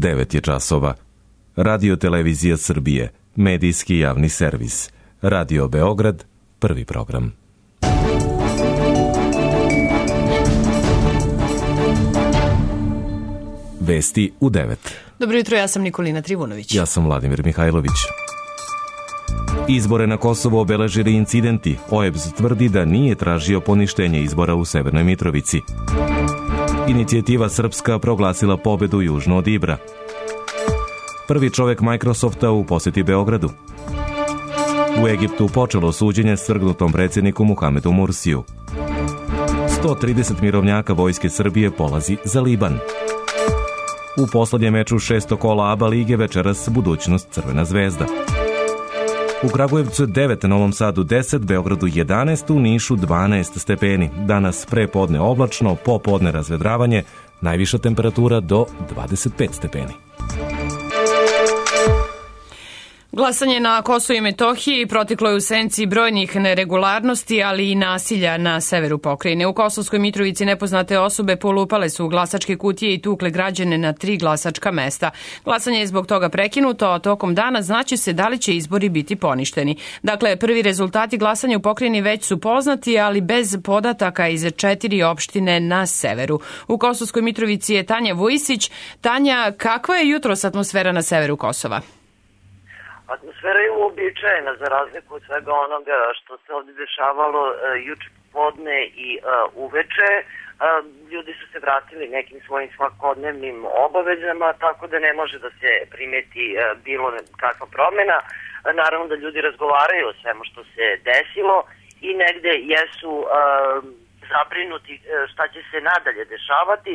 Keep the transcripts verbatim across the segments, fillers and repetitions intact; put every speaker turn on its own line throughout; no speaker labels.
devet je časova. Radio Televizija Srbije, medijski javni servis. Radio Beograd, prvi program. Vesti u devet.
Dobro jutro, ja sam Nikolina Trivunović.
Ja sam Vladimir Mihajlović. Izbore na Kosovo obeležili incidenti. O E B S tvrdi da nije tražio poništenje izbora u Severnoj Mitrovici. Inicijativa Srpska proglasila pobedu južno od Ibra. Prvi čovek Microsofta u poseti Beogradu. U Egiptu počelo suđenje svrgnutom predsjedniku Muhamedu Mursiju. sto trideset mirovnjaka Vojske Srbije polazi za Liban. U poslednjem meču šesto kola A B A lige večeras budućnost Crvena zvezda. U Kragujevcu devet, Novom Sadu deset, Beogradu jedanaest, u Nišu dvanaest stepeni. Danas prepodne oblačno, popodne razvedravanje, najviša temperatura do dvadeset pet stepeni.
Glasanje na Kosovu i Metohiji proteklo je u senci brojnih neregularnosti, ali i nasilja na severu pokrajine. U Kosovskoj Mitrovici nepoznate osobe polupale su u glasačke kutije i tukle građane na tri glasačka mesta. Glasanje je zbog toga prekinuto, a tokom dana znaće se da li će izbori biti poništeni. Dakle, prvi rezultati glasanja u pokrajini već su poznati, ali bez podataka iz četiri opštine na severu. U Kosovskoj Mitrovici je Tanja Vujisić. Tanja, kakva je jutros atmosfera na severu Kosova?
Atmosfera je uobičajena za razliku od svega onoga što se ovdje dešavalo uh, juče popodne i uh, uveče. Uh, ljudi su se vratili nekim svojim svakodnevnim obavezama, tako da ne može da se primeti uh, bilo kakva promjena. Uh, naravno da ljudi razgovaraju o svemu što se desilo i negde jesu uh, zabrinuti uh, šta će se nadalje dešavati,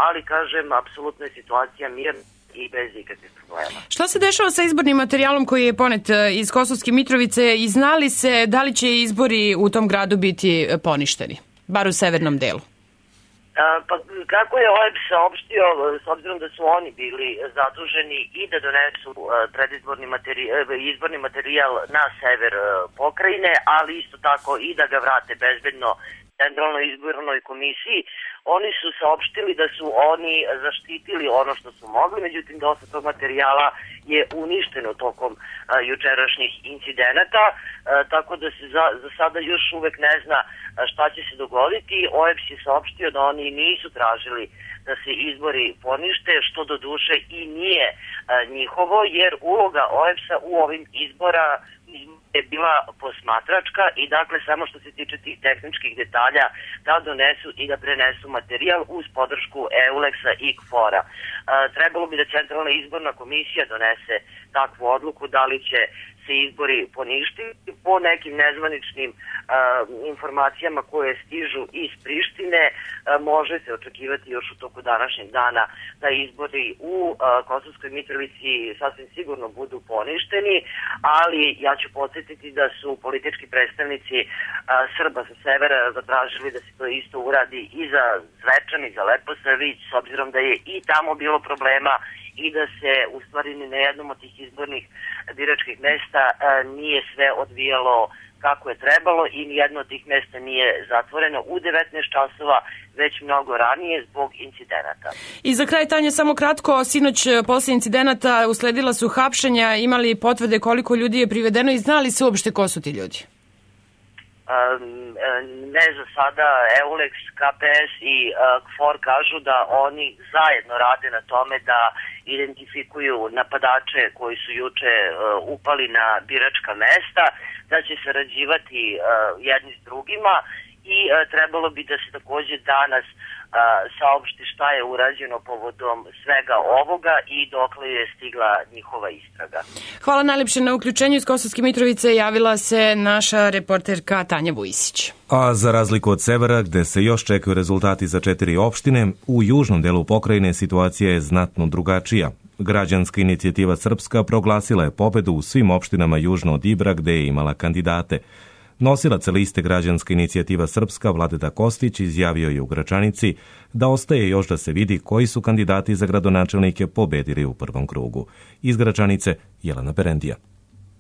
ali kažem, apsolutno je situacija mirna i bez ikakvih problema.
Šta se dešava sa izbornim materijalom koji je ponet iz Kosovske Mitrovice i zna li se da li će izbori u tom gradu biti poništeni, bar u severnom delu?
A, pa kako je O E B S saopštio, s obzirom da su oni bili zaduženi i da donesu predizborni materijal, izborni materijal na sever pokrajine, ali isto tako i da ga vrate bezbedno Centralnoj izbornoj komisiji, oni su saopštili da su oni zaštitili ono što su mogli, međutim dosta tog materijala je uništeno tokom a, jučerašnjih incidenata, a, tako da se za, za sada još uvek ne zna a, šta će se dogoditi. O E B S je saopštio da oni nisu tražili da se izbori ponište, što do duše i nije a, njihovo, jer uloga O E B S-a u ovim izbora je bila posmatračka i dakle samo što se tiče tih tehničkih detalja da donesu i da prenesu materijal uz podršku Euleksa i K F O R-a. E, trebalo bi da Centralna izborna komisija donese takvu odluku da li će se izbori poništiti. Po nekim nezvaničnim uh, informacijama koje stižu iz Prištine uh, može se očekivati još u toku današnjeg dana da izbori u uh, Kosovskoj Mitrovici sasvim sigurno budu poništeni, ali ja ću podsjetiti da su politički predstavnici uh, Srba sa severa zatražili da se to isto uradi i za Zvečan i za Leposavić, s obzirom da je i tamo bilo problema i da se u stvari na jednom od tih izbornih biračkih mesta nije sve odvijalo kako je trebalo i nijedno od tih mesta nije zatvoreno u devetnaest časova, već mnogo ranije zbog incidenata.
I za kraj, Tanja, samo kratko, sinoć posle incidenata usledila su hapšenja, imali potvrde koliko ljudi je privedeno i znali se uopšte ko su ti ljudi?
Ne za sada. Euleks, K P S i K F O R kažu da oni zajedno rade na tome da identifikuju napadače koji su juče upali na biračka mesta, da će sarađivati jedni s drugima i trebalo bi da se takođe danas saopšti šta je urađeno povodom svega ovoga i dokle je stigla njihova istraga.
Hvala najlepše na uključenju. Iz Kosovske Mitrovice javila se naša reporterka Tanja Vujisić.
A za razliku od severa, gde se još čekaju rezultati za četiri opštine, u južnom delu pokrajine situacija je znatno drugačija. Građanska inicijativa Srpska proglasila je pobedu u svim opštinama južno od Ibra gde je imala kandidate. Nosilac liste Građanska inicijativa Srpska Vladeta Kostić izjavio je u Gračanici da ostaje još da se vidi koji su kandidati za gradonačelnike pobedili u prvom krugu. Iz Gračanice Jelena Perendija.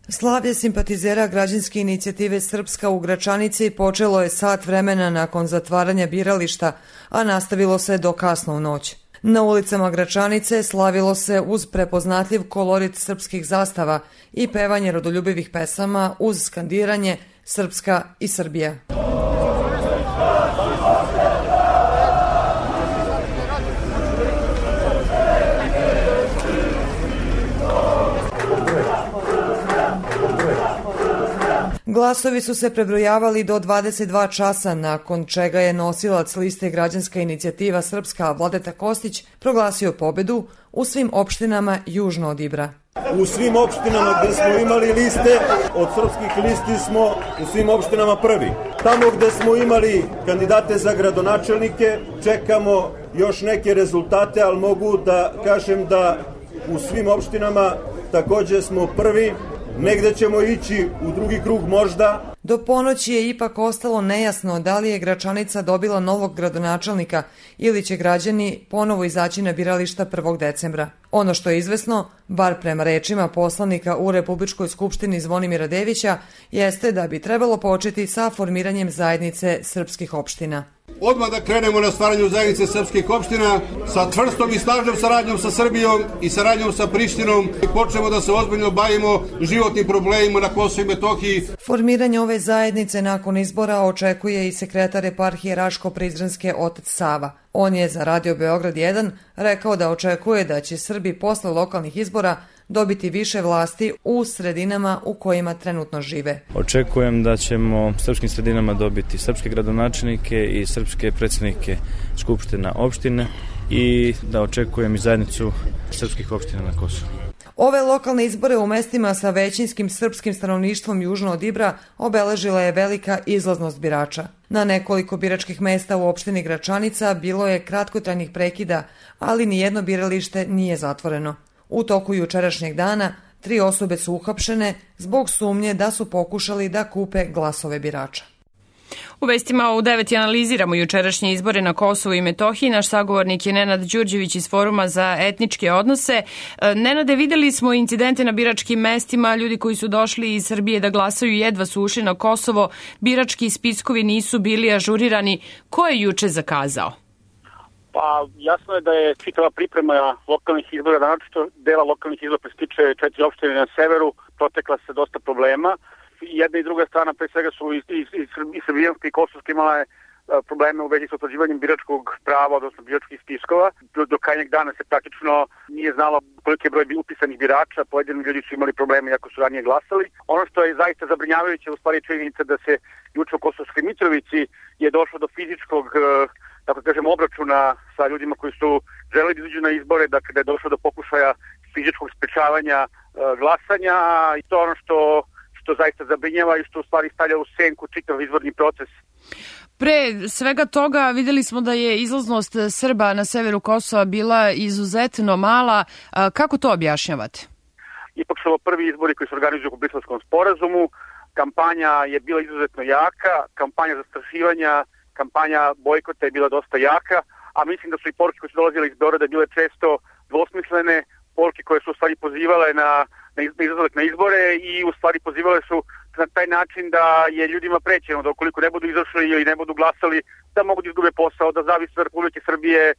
Slavlje simpatizera Građanske inicijative Srpska u Gračanici počelo je sat vremena nakon zatvaranja birališta, a nastavilo se do kasno u noć. Na ulicama Gračanice slavilo se uz prepoznatljiv kolorit srpskih zastava i pevanje rodoljubivih pesama uz skandiranje Srpska i Srbija. Glasovi su se prebrojavali do dvadeset dva časa, nakon čega je nosilac liste Građanska inicijativa Srpska Vladeta Kostić proglasio pobedu u svim opštinama južno od Ibra.
U svim opštinama gde smo imali liste, od srpskih listi smo u svim opštinama prvi. Tamo gde smo imali kandidate za gradonačelnike, čekamo još neke rezultate, ali mogu da kažem da u svim opštinama takođe smo prvi. Negde ćemo ići u drugi krug možda.
Do ponoći je ipak ostalo nejasno da li je Gračanica dobila novog gradonačelnika ili će građani ponovo izaći na birališta prvog decembra. Ono što je izvesno, bar prema rečima poslanika u Republičkoj skupštini Zvonimira Devića, jeste da bi trebalo početi sa formiranjem zajednice srpskih opština.
Odmah da krenemo na stvaranju zajednice srpskih opština sa čvrstom i snažnom saradnjom sa Srbijom i saradnjom sa Prištinom i počnemo da se ozbiljno bavimo životnim problemima na Kosovu i Metohiji.
Formiranje ove zajednice nakon izbora očekuje i sekretar eparhije Raško-Prizrenske otac Sava. On je za Radio Beograd jedan rekao da očekuje da će Srbi posle lokalnih izbora dobiti više vlasti u sredinama u kojima trenutno žive.
Očekujem da ćemo srpskim sredinama dobiti srpske gradonačelnike i srpske predsjednike skupština opštine i da očekujem i zajednicu srpskih opština na Kosovu.
Ove lokalne izbore u mestima sa većinskim srpskim stanovništvom južno od Ibra obeležila je velika izlaznost birača. Na nekoliko biračkih mesta u opštini Gračanica bilo je kratkotrajnih prekida, ali nijedno biralište nije zatvoreno. U toku jučerašnjeg dana tri osobe su uhapšene zbog sumnje da su pokušali da kupe glasove birača.
U vestima u devet analiziramo jučerašnje izbore na Kosovu i Metohiji. Naš sagovornik je Nenad Đurđević iz Foruma za etničke odnose. Nenade, videli smo incidente na biračkim mestima, ljudi koji su došli iz Srbije da glasaju jedva su ušli na Kosovo, birački spiskovi nisu bili ažurirani. Ko je juče zakazao?
Pa jasno je da je čitava priprema lokalnih izbora, naročito dela lokalnih izbora prestiče četiri opštine na severu, protekla se dosta problema. Jedna i druga strana, pre svega su i, i, i srbijanska i kosovska imala probleme u vezi s utvrđivanjem biračkog prava, odnosno biračkih spiskova. Do, do krajnjeg dana se praktično nije znalo koliki je broj upisanih birača, pojedini ljudi su imali probleme iako su ranije glasali. Ono što je zaista zabrinjavajuće u stvari činjenica da se juče u Kosovskoj Mitrovici je došlo do fizičkog, tako kažem, obračuna sa ljudima koji su želeli da izađu na izbore, dakle da je došlo do pokušaja fizičkog sprečavanja glasanja i to ono što što zaista zabrinjava i što u stvari stavlja u senku čitav izborni proces.
Pre svega toga videli smo da je izlaznost Srba na severu Kosova bila izuzetno mala. Kako to objašnjavate?
Ipak su ovo prvi izbori koji se organizuju po Briselskom sporazumu. Kampanja je bila izuzetno jaka, kampanja zastrašivanja, kampanja bojkota je bila dosta jaka, a mislim da su i poruke koje su dolazile iz Beograda bile često dvosmislene, poruke koje su u stvari pozivale na na izlazak na izbore i u stvari pozivale su na taj način da je ljudima prećeno da ukoliko ne budu izašli ili ne budu glasali da mogu da izgube posao, da zavise od Republike Srbije. E,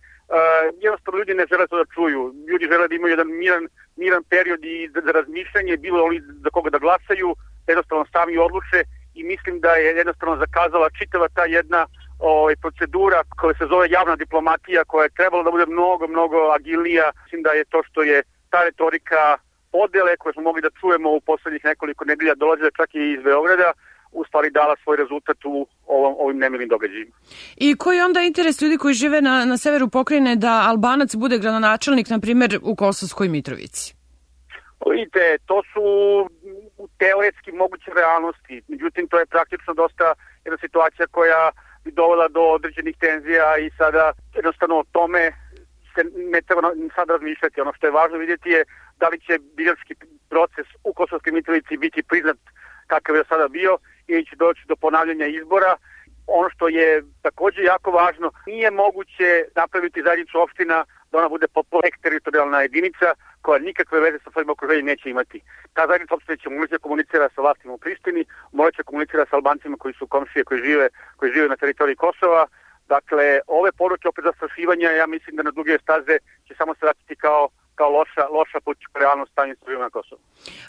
jednostavno ljudi ne žele to da čuju. Ljudi žele da imaju jedan miran, miran period i za, za razmišljanje, bilo oni za koga da glasaju, jednostavno sami odluče i mislim da je jednostavno zakazala čitava ta jedna ovaj, procedura koja se zove javna diplomatija koja je trebala da bude mnogo, mnogo agilnija. Mislim da je to što je ta retorika podele koje smo mogli da čujemo u poslednjih nekoliko nedelja dolazile čak i iz Beograda, u stvari dala svoj rezultat u ovom, ovim nemilim događajima.
I koji je onda interes ljudi koji žive na, na severu pokrajine da Albanac bude gradonačelnik, na primjer, u Kosovskoj Mitrovici?
Vidite, to su teoretski moguće realnosti, međutim to je praktično dosta jedna situacija koja bi dovela do određenih tenzija i sada jednostavno o tome se ne treba sad razmišljati. Ono što je važno vidjeti je da li će birački proces u Kosovskoj Mitrovici biti priznat kakav je sada bio ili će doći do ponavljanja izbora. Ono što je također jako važno, nije moguće napraviti zajednicu opština da ona bude potpuno teritorijalna jedinica koja nikakve veze sa svojim okruženjem neće imati. Ta zajednica opština će moći da komunicira sa vlastima u Prištini, moći da komunicira sa Albancima koji su komšije, koji žive, koji žive na teritoriji Kosova. Dakle, ove poruke opet zastrašivanja, ja mislim da na duge staze će samo se vratiti kao, kao loša, loša politička realnost stanja na Kosovu.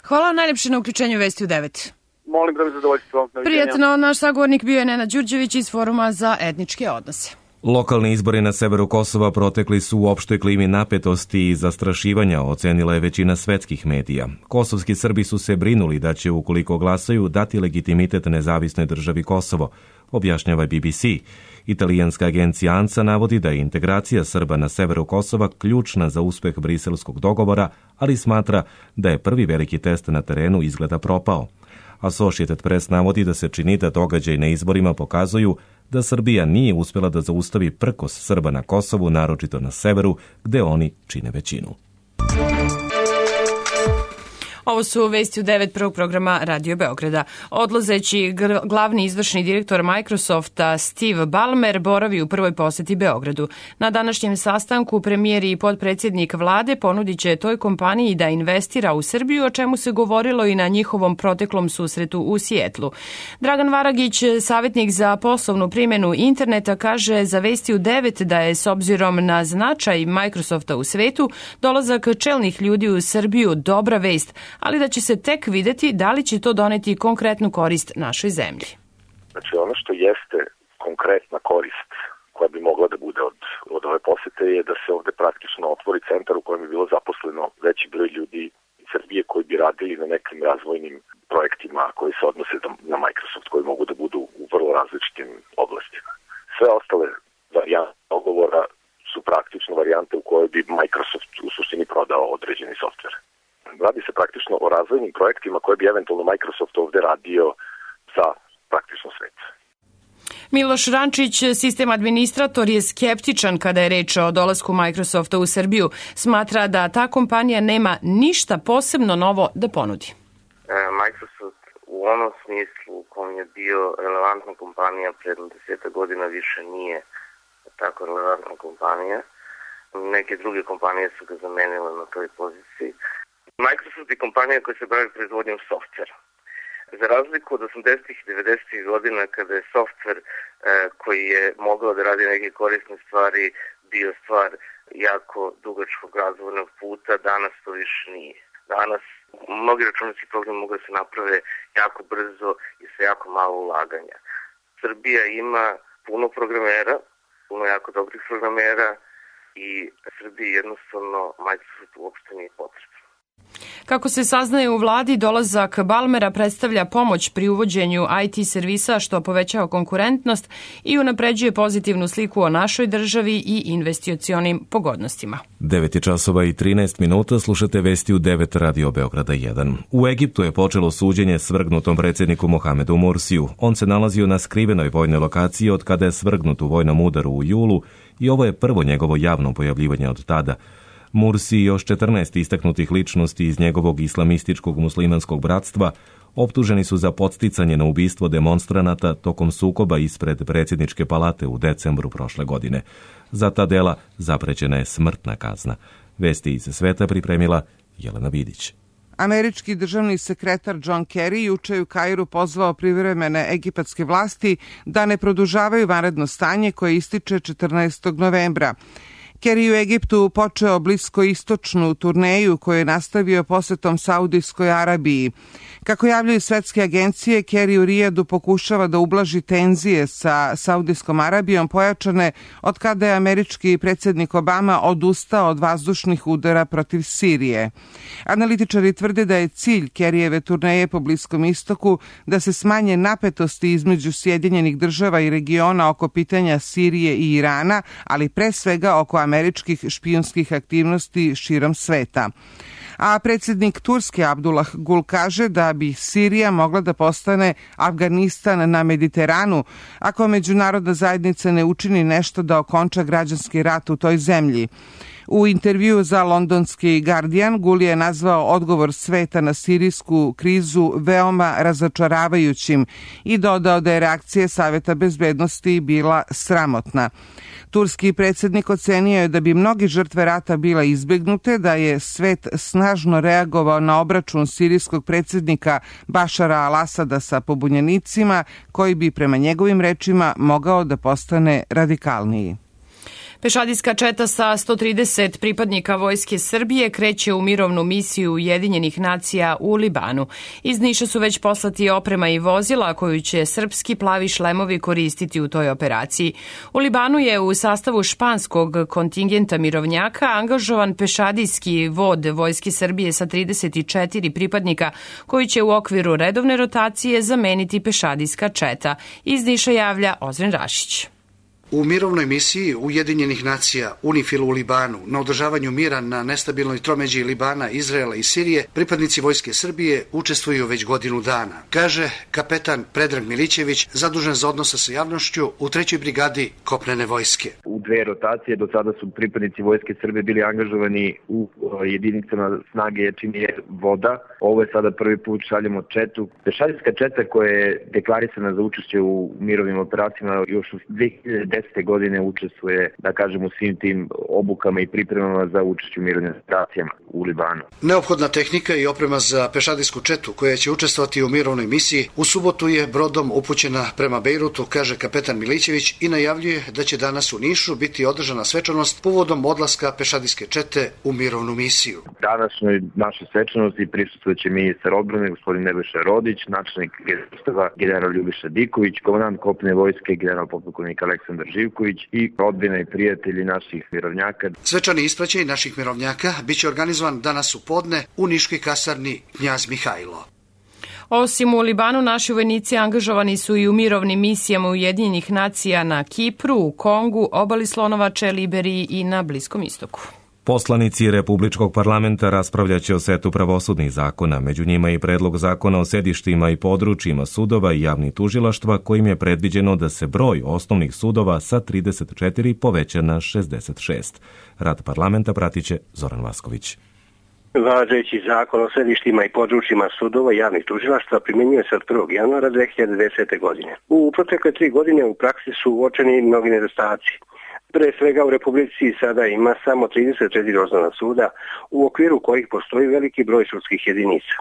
Hvala najlepše na uključenju Vesti u devet.
Molim da mi zadovoljstvo.
Prijatno, naš sagovornik bio je Nenad Đurđević iz Foruma za etničke odnose.
Lokalni izbori na severu Kosova protekli su u opštoj klimi napetosti i zastrašivanja, ocenila je većina svetskih medija. Kosovski Srbi su se brinuli da će, ukoliko glasaju, dati legitimitet nezavisnoj državi Kosovo, objašnjava B B C. Italijanska agencija ANSA navodi da je integracija Srba na severu Kosova ključna za uspeh briselskog dogovora, ali smatra da je prvi veliki test na terenu izgleda propao. Associated Press navodi da se čini da događaj na izborima pokazuju da Srbija nije uspjela da zaustavi prkos Srba na Kosovu, naročito na severu, gde oni čine većinu.
Ovo su Vesti u devet prvog programa Radio Beograda. Odlazeći glavni izvršni direktor Microsofta Steve Ballmer boravi u prvoj poseti Beogradu. Na današnjem sastanku premijer i potpredsjednik vlade ponudit će toj kompaniji da investira u Srbiju, o čemu se govorilo i na njihovom proteklom susretu u Sijetlu. Dragan Varagić, savjetnik za poslovnu primjenu interneta, kaže za Vesti u devet da je s obzirom na značaj Microsofta u svetu dolazak čelnih ljudi u Srbiju dobra vest, ali da će se tek videti da li će to doneti konkretnu korist našoj zemlji.
Znači ono što jeste konkretna korist koja bi mogla da bude od, od ove posete je da se ovde praktično otvori centar u kojem bi bilo zaposleno veći broj ljudi iz Srbije koji bi radili na nekim razvojnim projektima koji se odnose na Microsoft, koji mogu da budu u vrlo različitim oblastima. Sve ostale varijante dogovora su praktično varijante u kojoj bi Microsoft u suštini prodao određeni softver. Radi se praktično o razvojnim projektima koje bi eventualno Microsoft ovde radio za praktično svet.
Miloš Rančić, sistem administrator, je skeptičan kada je reč o dolasku Microsofta u Srbiju. Smatra da ta kompanija nema ništa posebno novo da ponudi.
Microsoft u onom smislu u kojem je bio relevantna kompanija pred deseta godina više nije tako relevantna kompanija. Neke druge kompanije su ga zamenile na toj poziciji. Microsoft je kompanija koja se bavi proizvodnjom softvera. Za razliku od osamdesetih i devedesetih godina kada je softver e, koji je mogao da radi neke korisne stvari bio stvar jako dugačkog razvojnog puta, danas to više nije. Danas mnogi računarski programi mogu da se naprave jako brzo i sa jako malo ulaganja. Srbija ima puno programera, puno jako dobrih programera i Srbiji jednostavno Microsoft uopšte nije potrebno.
Kako se saznaje u vladi, dolazak Ballmera predstavlja pomoć pri uvođenju I T servisa, što povećava konkurentnost i unapređuje pozitivnu sliku o našoj državi i investicionim pogodnostima.
devet je časova i trinaest minuta, slušate Vesti u devet Radio Beograda jedan. U Egiptu je počelo suđenje svrgnutom predsjedniku Mohamedu Mursiju. On se nalazio na skrivenoj vojnoj lokaciji od kada je svrgnut u vojnom udaru u julu i ovo je prvo njegovo javno pojavljivanje od tada. Mursi i još četrnaest istaknutih ličnosti iz njegovog islamističkog muslimanskog bratstva optuženi su za podsticanje na ubistvo demonstranata tokom sukoba ispred predsjedničke palate u decembru prošle godine. Za ta dela zaprećena je smrtna kazna. Vesti iz sveta pripremila Jelena Vidić.
Američki državni sekretar John Kerry juče je u Kairu pozvao privremene egipatske vlasti da ne produžavaju vanredno stanje koje ističe četrnaestog novembra. Kerry u Egiptu počeo bliskoistočnu turneju koju je nastavio posetom Saudijskoj Arabiji. Kako javljaju svetske agencije, Kerry u Rijadu pokušava da ublaži tenzije sa Saudijskom Arabijom pojačane od kada je američki predsjednik Obama odustao od vazdušnih udara protiv Sirije. Analitičari tvrde da je cilj Kerryjeve turneje po Bliskom istoku da se smanje napetosti između Sjedinjenih država i regiona oko pitanja Sirije i Irana, ali pre svega oko američkih špijunskih aktivnosti širom sveta. A predsjednik Turske Abdullah Gul kaže da bi Sirija mogla da postane Afganistan na Mediteranu ako međunarodna zajednica ne učini nešto da okonča građanski rat u toj zemlji. U intervju za londonski Guardian, Guli je nazvao odgovor sveta na sirijsku krizu veoma razočaravajućim i dodao da je reakcija Saveta bezbednosti bila sramotna. Turski predsjednik ocenio je da bi mnogi žrtve rata bila izbegnute, da je svet snažno reagovao na obračun sirijskog predsjednika Bašara al-Asada sa pobunjenicima, koji bi prema njegovim rečima mogao da postane radikalniji.
Pešadijska četa sa sto trideset pripadnika Vojske Srbije kreće u mirovnu misiju Ujedinjenih nacija u Libanu. Iz Niša su već poslati oprema i vozila koju će srpski plavi šlemovi koristiti u toj operaciji. U Libanu je u sastavu španskog kontingenta mirovnjaka angažovan pešadijski vod Vojske Srbije sa trideset četiri pripadnika koji će u okviru redovne rotacije zameniti pešadijska četa. Iz Niša javlja Ozren Rašić.
U mirovnoj misiji Ujedinjenih nacija UNIFIL u Libanu na održavanju mira na nestabilnoj tromeđi Libana, Izraela i Sirije pripadnici Vojske Srbije učestvuju već godinu dana, kaže kapetan Predrag Milićević, zadužen za odnose sa javnošću u trećoj brigadi kopnene vojske.
U dve rotacije do sada su pripadnici Vojske Srbije bili angažovani u jedinicama snage čini je voda. Ovo je sada prvi put šaljemo četu. Pešadijska četa koja je deklarisana za učešće u mirovnim operacijama još u dve hiljade desete godine učestvuje, da kažem, u svim tim obukama i pripremama za učešće u mirovnim operacijama u Libanu.
Neophodna tehnika i oprema za pešadijsku četu koja će učestvovati u mirovnoj misiji u subotu je brodom upućena prema Bejrutu, kaže kapetan Milićević i najavljuje da će danas u Nišu biti održana svečanost povodom odlaska pešadijske čete u mirovnu misiju.
Današnjoj našoj svečanosti prisustvujuće ministar odbrane gospodin Nebojša Rodić, načelnik Generalštaba general Ljubiša Diković, komandant kopnene vojske general potpukovnik Aleksandar Živković i rodbina i prijatelji naših mirovnjaka.
Svečani ispraćaj naših mirovnjaka biće organizovan danas u podne u niškoj kasarni Knjaz Mihajlo.
Osim u Libanu, naši vojnici angažovani su i u mirovnim misijama Ujedinjenih nacija na Kipru, u Kongu, obali Slonovače, Liberiji i na Bliskom istoku.
Poslanici Republičkog parlamenta raspravljaće o setu pravosudnih zakona, među njima i predlog zakona o sedištima i područjima sudova i javnih tužilaštva, kojim je predviđeno da se broj osnovnih sudova sa trideset četiri poveća na šezdeset šest. Rad parlamenta pratiće Zoran Vasković.
Važeći zakon o sedištima i područjima sudova i javnih tužilaštva primjenjuje se od prvog januara dve hiljade desete. godine. U protekle tri godine u praksi su uočeni mnogi nedostaci. Pre svega u Republici sada ima samo trideset četiri osnovna suda, u okviru kojih postoji veliki broj sudskih jedinica.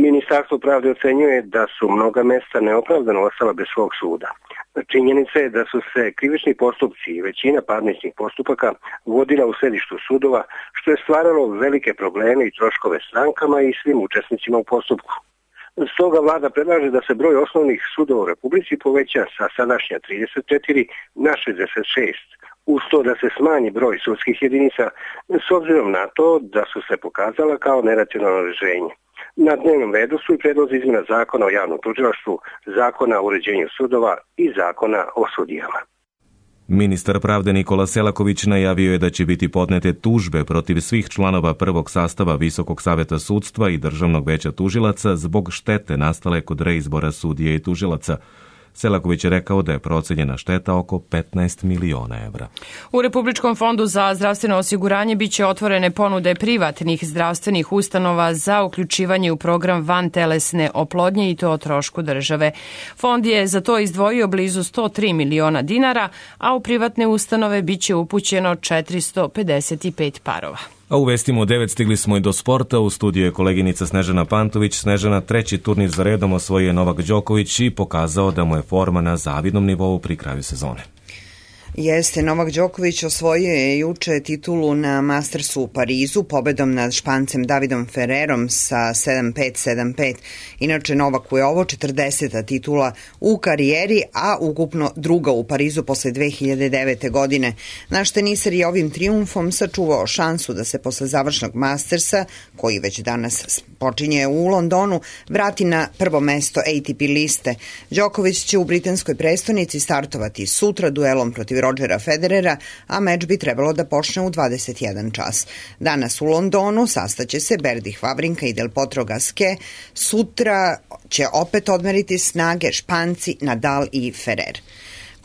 Ministarstvo pravde ocenjuje da su mnoga mesta neopravdano ostala bez svog suda. Činjenica je da su se krivični postupci i većina parničnih postupaka vodila u sedištu sudova, što je stvaralo velike probleme i troškove strankama i svim učesnicima u postupku. Stoga vlada predlaže da se broj osnovnih sudova u Republici poveća sa sadašnja trideset četiri na šezdeset šest, uz to da se smanji broj sudskih jedinica s obzirom na to da su se pokazala kao neracionalno rješenje. Na dnevnom redu su i predlozi izmjena zakona o javnom tužilaštvu, zakona o uređenju sudova i zakona o sudijama.
Ministar pravde Nikola Selaković najavio je da će biti podnete tužbe protiv svih članova prvog sastava Visokog saveta sudstva i Državnog veća tužilaca zbog štete nastale kod reizbora sudije i tužilaca. Selaković je rekao da je procenjena šteta oko petnaest miliona evra.
U Republičkom fondu za zdravstveno osiguranje biće otvorene ponude privatnih zdravstvenih ustanova za uključivanje u program vantelesne oplodnje i to o trošku države. Fond je za to izdvojio blizu sto tri miliona dinara, a u privatne ustanove biće upućeno četiristo pedeset pet parova.
A u vestima u devet stigli smo i do sporta. U studiju je koleginica Snežana Pantović. Snežana, treći turnir za redom osvojio je Novak Đoković i pokazao da mu je forma na zavidnom nivou pri kraju sezone.
Jeste, Novak Đoković osvojio je juče titulu na Mastersu u Parizu pobedom nad Špancem Davidom Ferrerom sa sedam pet sedam pet. Inače, Novaku je ovo četrdeseta titula u karijeri, a ukupno druga u Parizu posle dve hiljade devete. godine. Naš teniser je ovim trijumfom sačuvao šansu da se posle završnog Mastersa, koji već danas počinje u Londonu, vrati na prvo mesto A T P liste. Đoković će u britanskoj prestonici startovati sutra duelom protiv Rodgera Federera, a meč bi trebalo da počne u dvadeset jedan čas. Danas u Londonu sastaće se Berdih Vavrinka i Del Potro Gasquet. Sutra će opet odmeriti snage Španci, Nadal i Ferrer.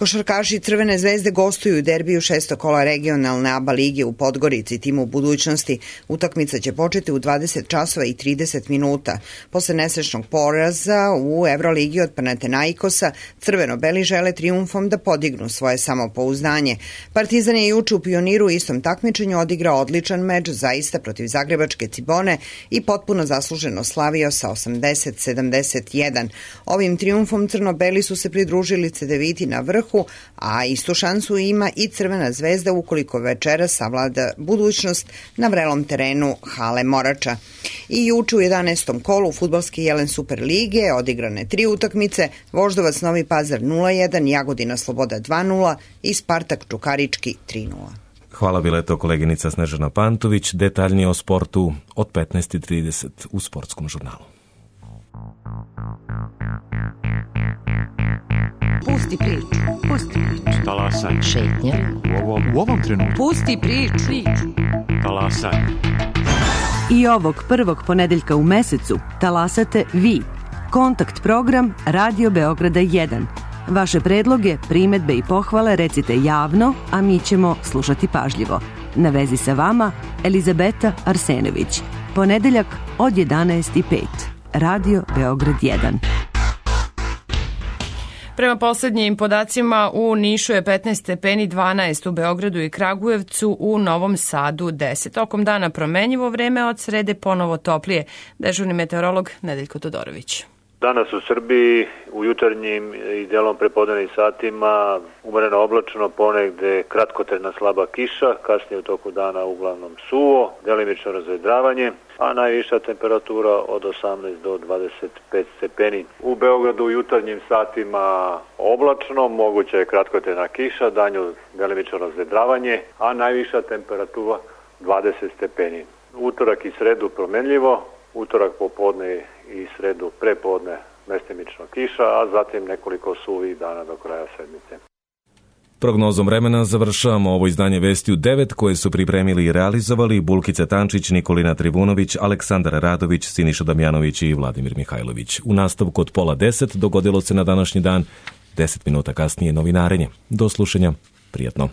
Košarkaši Crvene zvezde gostuju u derbiju šestog kola regionalne A B A lige u Podgorici, timu budućnosti. Utakmica će početi u dvadeset časova i trideset minuta. Posle nesrećnog poraza u Evroligi od Panathinaikosa, crveno-beli žele trijumfom da podignu svoje samopouzdanje. Partizan je juče u Pioniru u istom takmičenju odigrao odličan meč zaista protiv zagrebačke Cibone i potpuno zasluženo slavio sa osamdeset sedamdeset jedan. Ovim trijumfom crno-beli su se pridružili Cedeviti na vrhu, a istu šansu ima i Crvena zvezda ukoliko večera savlada budućnost na vrelom terenu Hale Morača. I juče u jedanaestom kolu fudbalske Jelen Super lige odigrane tri utakmice, Voždovac Novi Pazar nula jedan, Jagodina Sloboda dva nula i Spartak Čukarički tri nula.
Hvala, bila je to koleginica Snežana Pantović. Detaljnije o sportu od petnaest i trideset u Sportskom žurnalu.
Pusti priču, pusti priču.
Talasaj.
Šetnja.
U ovom, u ovom trenutku.
Pusti priču.
Talasaj.
I ovog prvog ponedeljka u mesecu talasate vi. Kontakt program Radio Beograda jedan. Vaše predloge, primetbe i pohvale recite javno, a mi ćemo slušati pažljivo. Na vezi sa vama Elizabeta Arsenović. Ponedeljak od jedanaest i pet. Radio Beograd jedan.
Prema poslednjim podacima u Nišu je petnaest stepeni, dvanaest u Beogradu i Kragujevcu, u Novom Sadu deset. Tokom dana promenjivo vreme, od srede ponovo toplije. Dežurni meteorolog Nedeljko Todorović.
Danas u Srbiji u jutarnjim i delom prepodnevnim satima umereno oblačno, ponegde kratkotrajna slaba kiša, kasnije u toku dana uglavnom suvo, delimično razvedravanje, a najviša temperatura od osamnaest do dvadeset pet stepeni. U Beogradu u jutarnjim satima oblačno, moguća je kratkotrajna kiša, danju delimično razvedravanje, a najviša temperatura dvadeset stepeni. Utorak i sredu promenljivo, utorak popodne i sredu prepodne mestimično kiša, a zatim nekoliko suvih dana do kraja sedmice.
Prognozom vremena završavamo ovo izdanje Vesti u devet koje su pripremili i realizovali Bulkica Tančić, Nikolina Trivunović, Aleksandar Radović, Siniša Damjanović i Vladimir Mihajlović. U nastavku od pola deset dogodilo se na današnji dan, deset minuta kasnije novinarenje. Do slušanja, prijatno.